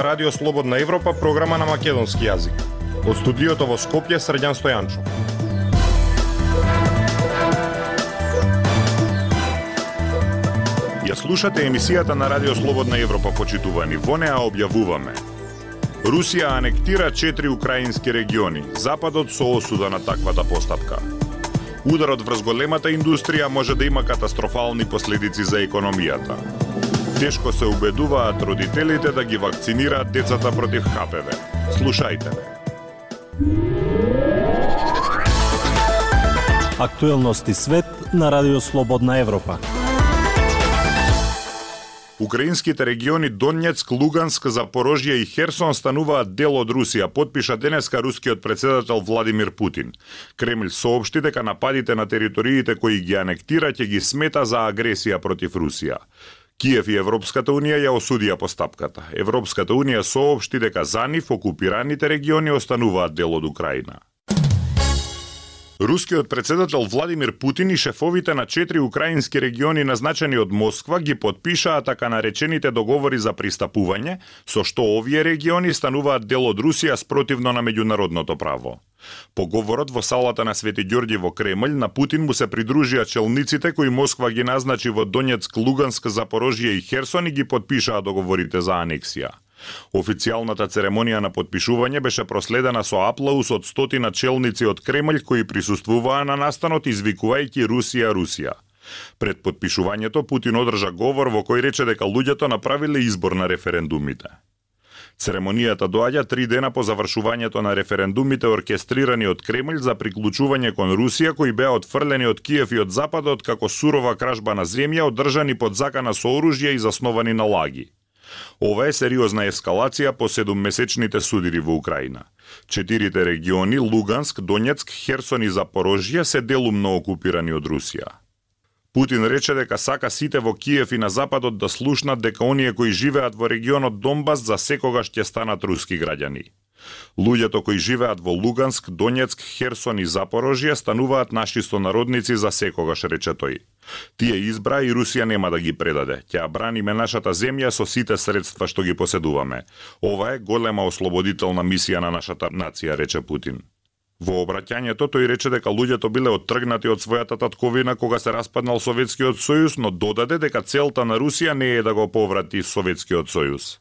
Ова Радио Слободна Европа, програма на македонски јазик. Од студиото во Скопје, Срđan Стојанчо. Ја слушате емисијата на Радио Слободна Европа, почитувани. Во неа објавуваме: Русија анектира 4 украински региони. Западот со осуда на таквата постапка. Ударот врз големата индустрија може да има катастрофални последици за економијата. Тешко се убедуваат родителите да ги вакцинираат децата против ХПВ. Слушајте ме. Актуелности свет на Радио Слободна Европа. Украинските региони Донецк, Луганск, Запорожје и Херсон стануваат дел од Русија, потпиша денеска рускиот председател Владимир Путин. Кремљ соопшти дека нападите на териториите кои ги анектира ќе ги смета за агресија против Русија. Киев и Европската Унија ја осудија постапката. Европската Унија соопшти дека за нив окупираните региони остануваат дел од Украина. Рускиот председател Владимир Путин и шефовите на 4 украински региони назначени од Москва ги потпишаа така наречените договори за пристапување, со што овие региони стануваат дел од Русија спротивно на меѓународното право. По говорот во салата на Свети Ѓорѓи во Кремљ, на Путин му се придружија челниците кои Москва ги назначи во Донецк, Луганск, Запорожје и Херсон и ги потпишаа договорите за анексија. Официјалната церемонија на потпишување беше проследена со аплауз од стотина челници од Кремљ кои присуствуваа на настанот извикувајќи Русија, Русија. Пред потпишувањето Путин одржа говор во кој рече дека луѓето направиле избор на референдумите. Церемонијата доаѓа 3 дена по завршувањето на референдумите оркестрирани од Кремљ за приклучување кон Русија, кои беа отфрлени од Киев и од Западот како сурова кражба на земја, одржани под закана со оружје и засновани на лаги. Ова е сериозна ескалација по 7-месечните судири во Украина. 4 региони Луганск, Донецк, Херсон и Запорожје се делумно окупирани од Русија. Путин рече дека сака сите во Киев и на Западот да слушнат дека оние кои живеат во регионот Донбас за секогаш ќе станат руски граѓани. Луѓето кои живеат во Луганск, Донецк, Херсон и Запорожје стануваат наши сонародници за секогаш, рече тој. Тие избра и Русија нема да ги предаде. Ќе ја браниме нашата земја со сите средства што ги поседуваме. Ова е голема ослободителна мисија на нашата нација, рече Путин. Во обраќањето тој рече дека луѓето биле оттргнати од својата татковина кога се распаднал Советскиот сојуз, но додаде дека целта на Русија не е да го поврати Советскиот сојуз.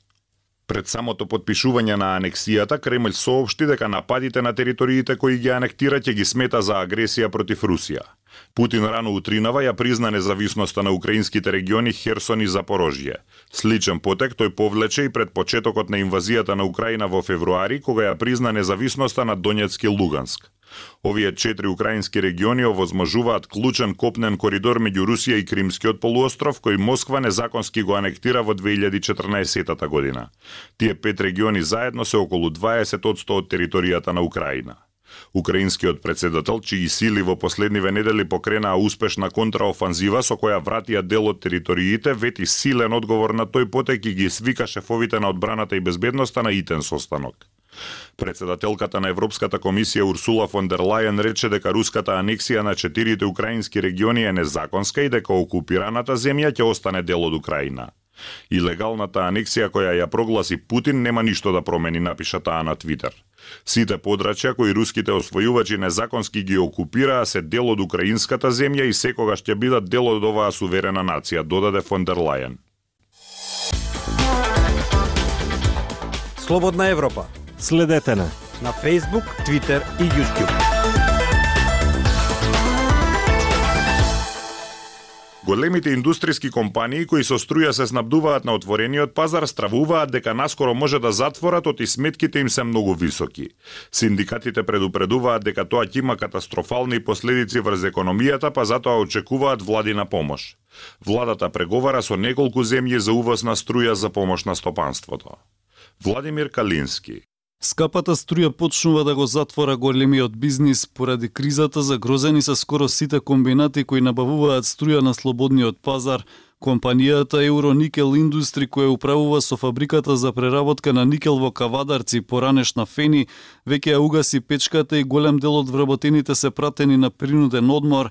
Пред самото потпишување на анексијата, Кремљ соопшти дека нападите на териториите кои ги анектира ќе ги смета за агресија против Русија. Путин рано утринава ја призна независноста на украинските региони Херсон и Запорожје. Сличен потек тој повлече и пред почетокот на инвазијата на Украина во февруари, кога ја призна независноста на Донецк и Луганск. Овие 4 украински региони овозможуваат клучен копнен коридор меѓу Русија и Кримскиот полуостров, кој Москва незаконски го анектира во 2014 година. Тие 5 региони заедно се околу 20% од територијата на Украина. Украинскиот председател, чии сили во последниве недели покренаа успешна контраофанзива со која вратија дел од териториите, вети силен одговор на тој потек и ги свика шефовите на одбраната и безбедноста на итен состанок. Председателката на Европската комисија Урсула фон дер Лајен рече дека руската анексија на 4 украински региони е незаконска и дека окупираната земја ќе остане дел од Украина. Илегалната анексија која ја прогласи Путин нема ништо да промени, напиша таа на Твитер. Сите подрачја кои руските освојувачи незаконски ги окупираа се дел од украинската земја и секогаш ќе бидат дел од оваа суверена нација, додаде фон дер Лајен. Слободна Европа. Следете на Facebook, Twitter и YouTube. Големите индустријски компании кои со струја се снабдуваат на отворениот пазар стравуваат дека наскоро може да затворат и сметките им се многу високи. Синдикатите предупредуваат дека тоа ќе има катастрофални последици врз економијата, па затоа очекуваат владина помош. Владата преговара со неколку земји за увоз на струја за помош на стопанството. Владимир Калински. Скапата струја почнува да го затвора големиот бизнис поради кризата, загрозени се скоро сите комбинати кои набавуваат струја на слободниот пазар. Компанијата Евроникел Индустри, која управува со фабриката за преработка на никел во Кавадарци, поранешна Фени, веќе ја угаси печката и голем дел од вработените се пратени на принуден одмор.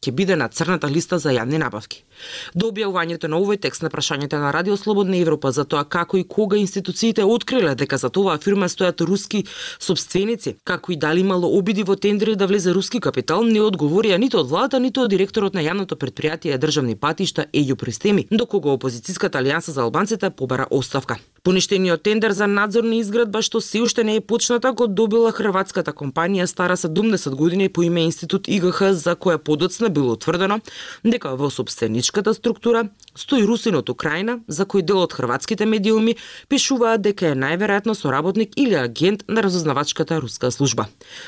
ќе биде на црната листа за јавни набавки. До објавувањето на овој текст на прашањето на Радио Слободна Европа за тоа како и кога институциите откриле дека за оваа фирма стојат руски сопственици, како и дали имало обиди во тендери да влезе руски капитал, не одговорија ниту од владата, ниту од директорот на јавното претпријатие Државни патишта Ејо Пристеми, до кога опозицијската алијанса за албанците побара оставка. Поништениот тендер за надзор на изградба што се уште не е почната го добила хрватската компанија стара 70 години по име Институт ИГХ, за која подоцна било утврдено дека во сопстеничката структура стои русин од Украина, за кој дел од хрватските медиуми пишуваат дека е најверојатно соработник или агент на разузнавачката руска служба.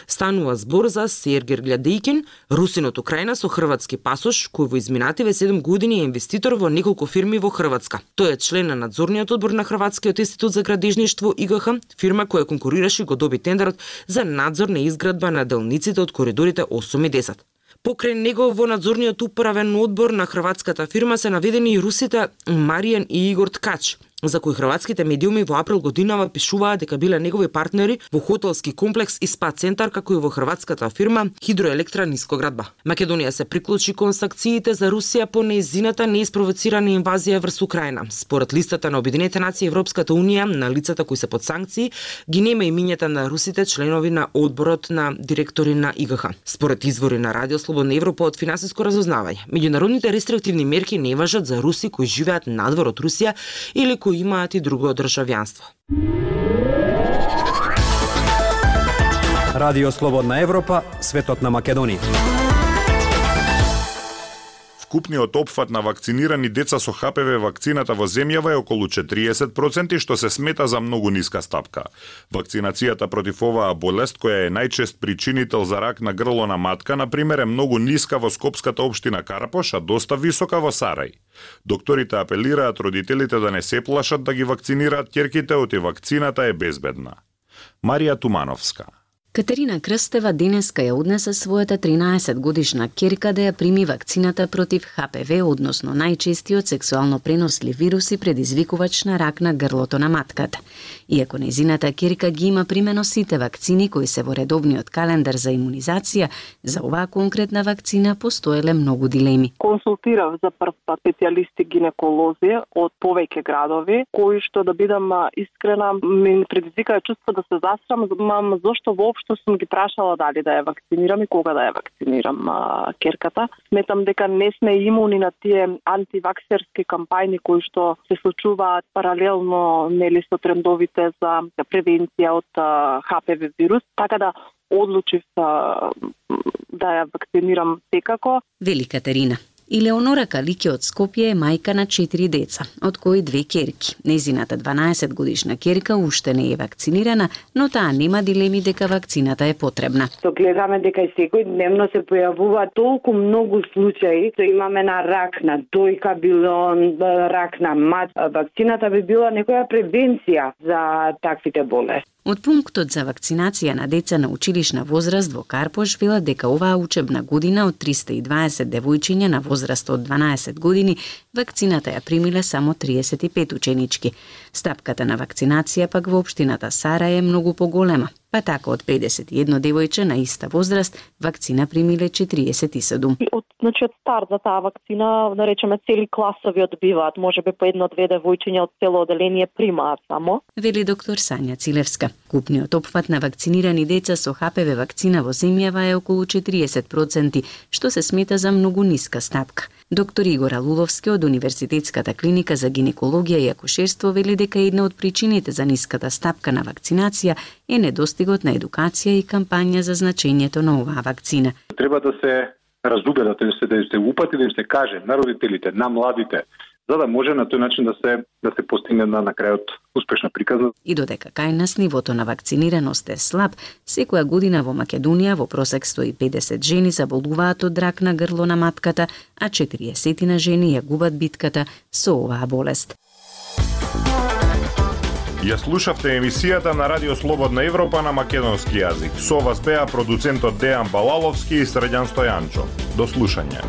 Станува збор за Сергеј Глядејкин, русин од Украина со хрватски пасош, кој во изминативе 7 години е инвеститор во неколку фирми во Хрватска. Тој е член на надзорниот одбор на Хрватскиот институт за градежништво ИГХ, фирма која конкурираше и го доби тендерот за надзор на изградба на делниците од коридорите 8 и 10. Покрај него во надзорниот управен одбор на хрватската фирма се наведени и русите Маријан и Игор Ткач, за кои хрватските медиуми во април годинава пишуваат дека биле негови партнери во хотелски комплекс и спа центар, како и во хрватската фирма Хидроелектра Нискоградба. Македонија се приклучи кон санкциите за Русија по нејзината неиспровоцирана инвазија врз Украина. Според листата на Обединетите нации, Европската унија на лицата кои се под санкции ги нема имињата на русите членови на одборот на директори на ИГХ. Според извори на Радио Слободна Европа од финансиско разузнавање, меѓународните рестриктивни мерки не важат за руси кои живеат надвор од Русија или кои имаат и друго државјанство. Радио Слободна Европа, светот на Македонија. Вкупниот опфат на вакцинирани деца со ХПВ вакцината во земјава е околу 40%, што се смета за многу ниска стапка. Вакцинацијата против оваа болест, која е најчест причинител за рак на грло на матка, например, е многу ниска во скопската општина Карапош, а доста висока во Сарај. Докторите апелираат родителите да не се плашат да ги вакцинираат ќерките, оти вакцината е безбедна. Марија Тумановска. Катерина Крстева денеска ја однесе својата 13-годишна ќерка да ја прими вакцината против ХПВ, односно најчестиот сексуално пренослив вирус и предизвикувач на рак на грлото на матката. Иако нејзината ќерка ги има примено сите вакцини кои се во редовниот календар за имунизација, за оваа конкретна вакцина постоеле многу дилеми. Консултирав за прв пат специјалисти гинеколози од повеќе градови, кои што, да бидам искрена, ми предизвикаа чувство да се засрамам, зошто воопшто сум ги прашала дали да ја вакцинирам и кога да ја вакцинирам ќерката. Сметам дека не сме имуни на тие антиваксерски кампањи кои што се случуваат паралелно нели со трендовите за превенција од ХПВ вирус, така да одлучив да ја вакцинирам секако. Вели Катерина. Илеонора Калике од Скопје е мајка на 4 деца, од кои 2 ќерки. Нејзината 12-годишна ќерка уште не е вакцинирана, но таа нема дилеми дека вакцината е потребна. Гледаме дека и секојдневно се појавуваат толку многу случаи, имаме на рак на дојка, било рак на мат. Вакцината би била некоја превенција за таквите болести. Од пунктот за вакцинација на деца на училишна возраст во Карпош велат дека оваа учебна година од 320 девојчиња на возраст од 12 години, вакцината ја примиле само 35 ученички. Стапката на вакцинација пак во општината Сарај е многу поголема. Па така од 51 девојче на иста возраст, вакцина примиле 47. Од старт за таа вакцина, да речеме, цели класови одбиваат, можеби по 1-2 девојчиња од цело оделение примаат само. Вели доктор Сања Цилевска. Купниот опфат на вакцинирани деца со ХПВ вакцина во земјава е околу 40%, што се смета за многу ниска стапка. Доктор Игор Алуловски од Универзитетската клиника за гинекологија и акушерство вели дека една од причините за ниската стапка на вакцинација е недостигот на едукација и кампања за значењето на оваа вакцина. Треба да се разубедат, да се упати, да им се каже на родителите, на младите, за да може на тој начин да се постигне на крајот успешна приказна. И додека кај нас нивото на вакцинираност е слаб, секоја година во Македонија во просек 150 жени заболуваат од рак на грло на матката, а 40 жени ја губат битката со оваа болест. Ја слушавте емисијата на Радио Слободна Европа на македонски јазик. Со вас беа продуцентот Дејан Балаловски и Средјан Стојанчо. До слушање.